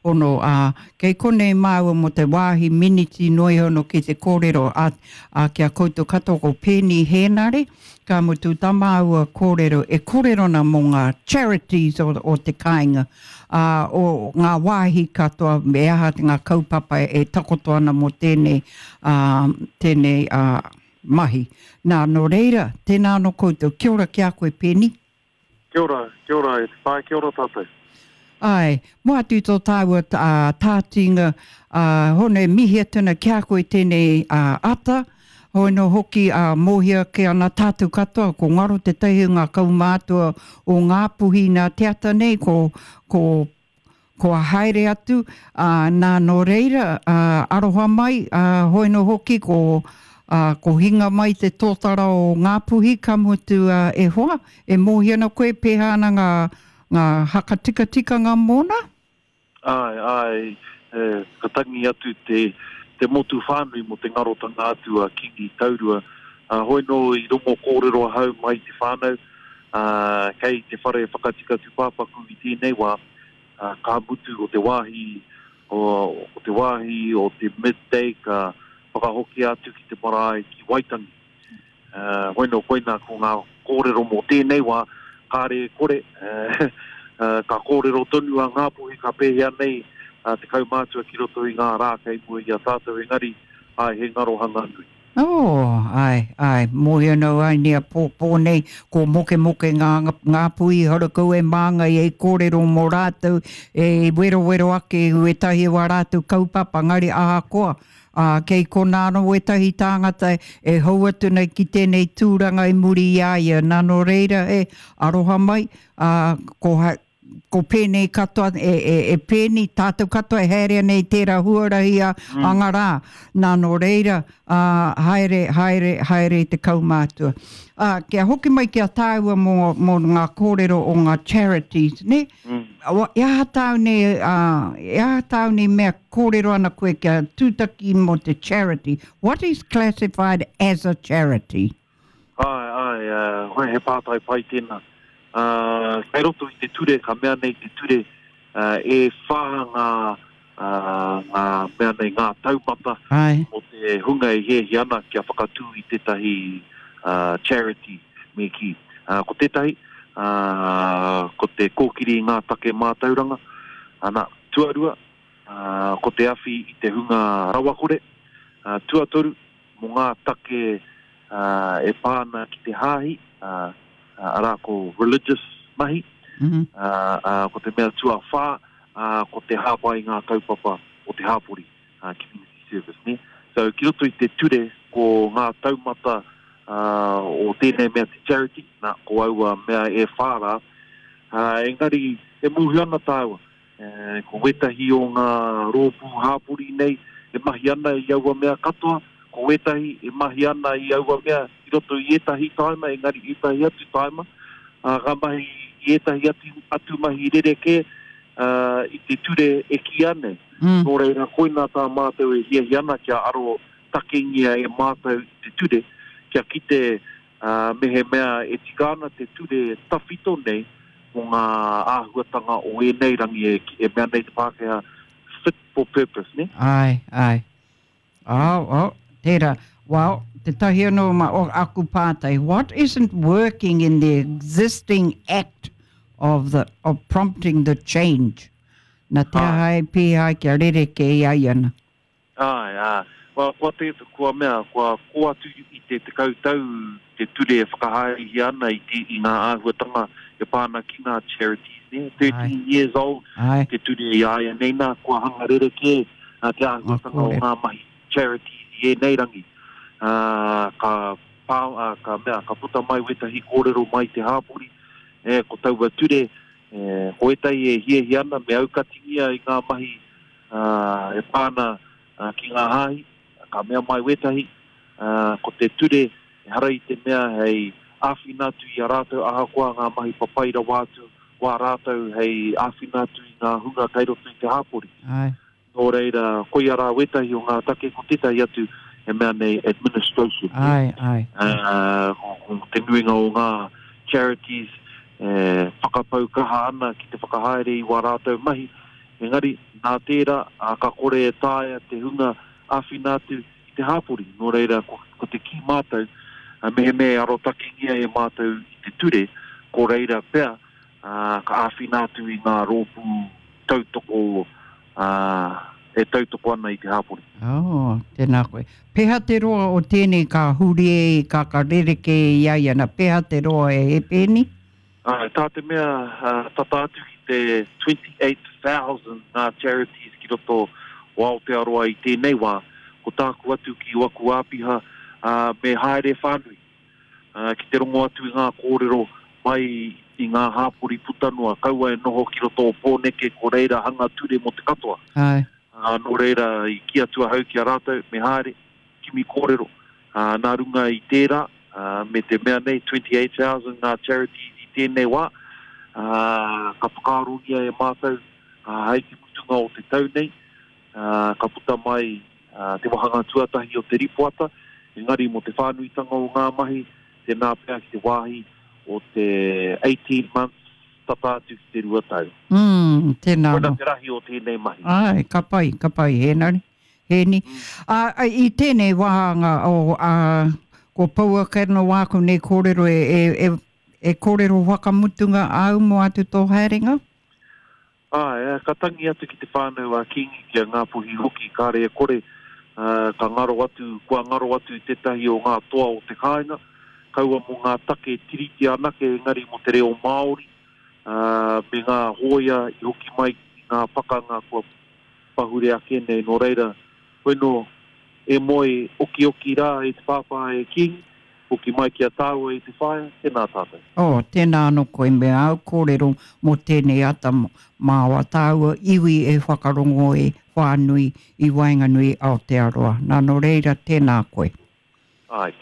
Hono, ā, kei konei māua mō te wāhi miniti noa iho no ki te kōrero a, a ki a koutou katoa ko Peeni Hēnare, ka mutu tā māua kōrero e kōrero ana mō ngā charities o, o te kāinga, ā, o ngā wāhi katoa me aha ngā kaupapa e takoto ana mō tēnei, ā, tēnei, ā, mahi. Nā, nō reira, tēnā anō koutou. Kia ora ki a koe Peeni. Kia ora, kia ora e te whaea, kia ora tātou. Āe, moa atu i tō tāua tātinga, ā, hono e mihi atu ana ki a koe tēnei ata, hoi anō hoki ā, mōhio ake ana tātou katoa, ko ngaro tētahi o ngā kaumātua o Ngāpuhi nā te ata nei, ko, ko Kua haere atu, ā, nā, nō reira, ā, aroha mai, ā, hoi nō hoki ko, ā, ko hinga mai te tōtara o Ngāpuhi, ka mutu, ā, e hoa, e mōhio ana koe pēhea ana ngā, ngā hakatikatikanga mōna? Āe, āe, e, ka tangi atu te, te motu whānui mō te ngarotanga atu a Kīngi Taurua. Ā, hoi nō i rongo kōrero ahau mai te whānau, ā, kei te whare whakatika tūpāpaku i tēnei wā, ā, ka mutu ko te wāhi, o, ko te wāhi o te midday ka whakahokia atu ki te marae ki Waitangi. Ā, hoi nō koinā ko ngā kōrero mō tēnei wā, kāre e kore, ā, ka kōrero tonu a Ngāpuhi ka pēhea nei te kaumātua ki roto i ngā rā kei mua i a tātou, engari, āe, he ngarohanga nui. Oh, ae, ae, mōhio nau ai nei a pōpō nei, ko mokemoke ngā, Ngāpuhi harakau e māngai e kōrero mō rātou, e werowero ake i wētahi o ā rātou kaupapa, engari ahakoa, ā, kei konā anō wētahi tāngata e hou atu nei ki tēnei tūranga i muri i a ia, nā nō reira e aroha mai, ā, ko, ko pēnei katoa, e, e, e pēni, tātou katoa e haere ana i tērā huarahi a, mm. a ngā rā. Nā, nō reira, ā, haere, haere, haere i te kaumātua. Ā, kia hoki mai ki a tāua mō, mō ngā kōrero o ngā charities, ne? Mm. E aha tāu nei, ā, e aha tāu nei mea kōrero ana koe kia tūtaki mō te charity? What is classified as a charity? Āe, āe, ā, he pātai pai tēnā. Ā, kei roto i te ture, ka mea nei te ture, ā, e whā ngā, ā, ngā mea nei, ngā taumata Āe. mō te hunga e hiahia ana kia whakatū i tētahi, ā, charity, me kī. Ā, ko tētahi, ā, ko te kōkiri i ngā take mātauranga, ana, tuarua, ā, ko te awhi i te hunga rawakore, ā, tuatoru, mō ngā take e pā ana ki te hāhi, arā ko religious mahi, ko te mea tuawhā, ko te hāpai i ngā kaupapa o te hāpori, community service, nē. So, ki roto i te ture, ko ngā taumata o tēnei mea te charity, nā, ko aua mea e whā rā, engari e mōhio ana tāua, Ko wētahi o ngā rōpū hāpori nei e mahi ana i aua mea katoa, ko wētahi e mahi ana i aua mea i roto i ētahi tāima, engari ētahi atu tāima, ā, ka mahi i ētahi atu, atu mahi rerekē i te ture e kīia nei. Nō reira, koinā tā mātou e hiahia ana kia aro takengia e mātou i te ture, kia kite Ā, mehemea e tika ana te ture tawhito nei mō ngā āhuatanga o ēnei rangi e, e mea nei te Pākehā, fit for purpose, nē? Āe, āe. Oh, oh, tērā. Well, tētahi anō ma, o aku pātai, what isn't working in the existing act of the, of prompting the change? Na te aha e pēhea ai kia rerekē i a ia ana? Āe, ā, kua, kua te, kua mea, kua kō atu i te tekau tau te ture e whakahaerehia ana i te, i ngā āhuatanga e pā ana ki ngā charities, nē? 13 years old Āe. te ture i a ia nei nā, kua hanga rerekē te āhuatanga o ngā mahi charities i ēnei rangi. Ā, ka pā, ā, ka mea, ka puta mai wētahi kōrero mai te hāpori, e, ko taua ture, e, ko ētahi e hiahia ana me aukatingia i ngā mahi ā, e pā ana ki ngā hāhi, ka mea mai wētahi, ā, ko te ture ehara i te mea hei āwhina atu i a rātou ahakoa ngā mahi papai rawa atu wā rātou hei āwhina atu i ngā hunga kei roto i te hāpori. Āe. Nō reira, koia rā wētahi o ngā take, ko tētahi atu e mea nei administration. Āe, āe. Ā, ko te nuinga o ngā charities e whakapau kaha ana ki te whakahaere i wā rātou mahi, Engari, nā tērā, ā, ka kore e taea te hunga āwhina atu i te hāpori. Nō reira, ko, ko te kī mātou, mehemea e arotakengia e mātou i te ture, ko reira pea, ā, ka āwhina atu i ngā rōpū tautoko, ā, e tautoko ana i te hāpori. Oh, tēnā koe. Peha te roa o tēnei ka huri e, ka, ka rerekē i a ia, na peha te roa e he pēni? Āe, tā te mea, tata atu ki te 28,000 ngā charities ki roto o Aotearoa i tēnei wā, ko tāku atu ki waku āpiha, me haere whānui, ki te rongo atu i ngā kōrero mai i ngā hāpori puta noa, kaua e noho ki roto o Pōneke, ko reira hanga ture mō te katoa. Āe. Nō reira, i kī atu ahau ki a rātou, me haere, kimi kōrero. Ā, nā runga i tērā, ā, me te mea nei, 28,000 ngā charities i tēnei wā, ā, ka whakaarongia e mātou, ā, hei te mutunga o te tau nei, ā, ka puta mai, ā, te wāhanga tuatahi o te ripoata, engari mō te whānuitanga o ngā mahi, tēnā pea ki te wāhi o te 18 months, tata atu ki te rua tau. Mm, tēnā anō. Koina te rahi o tēnei mahi. Āe, ka pai, ka pai, Hēnare. Hēni. Ā, i tēnei wāhanga o, ā, ko pouaka anō wāku nei kōrero e, e, e, e kōrero whakamutunga āu mō atu tō haerenga? Āe, ka tangi atu ki te whānau a Kīngi, ki a Ngāpuhi hoki, kāre e kore, ā, ka ngaro atu, kua ngaro atu tētahi o ngā toa o te kāinga, kaua mō ngā take Tiriti anake engari mō te reo Māori, ā, me ngā hōia i hoki mai i ngā pakanga kua pahure ake nei, nō reira, koinō, e moe okioki rā e te pāpā e Kīngi, hoki mai ki a tāua i te whaea, tēnā tātou. Oh, tēnā anō koe me āu kōrero mō tēnei ata mā wā tāua iwi e whakarongo e whānui i waenganui Aotearoa. Nā, nō reira, tēnā koe. Āe.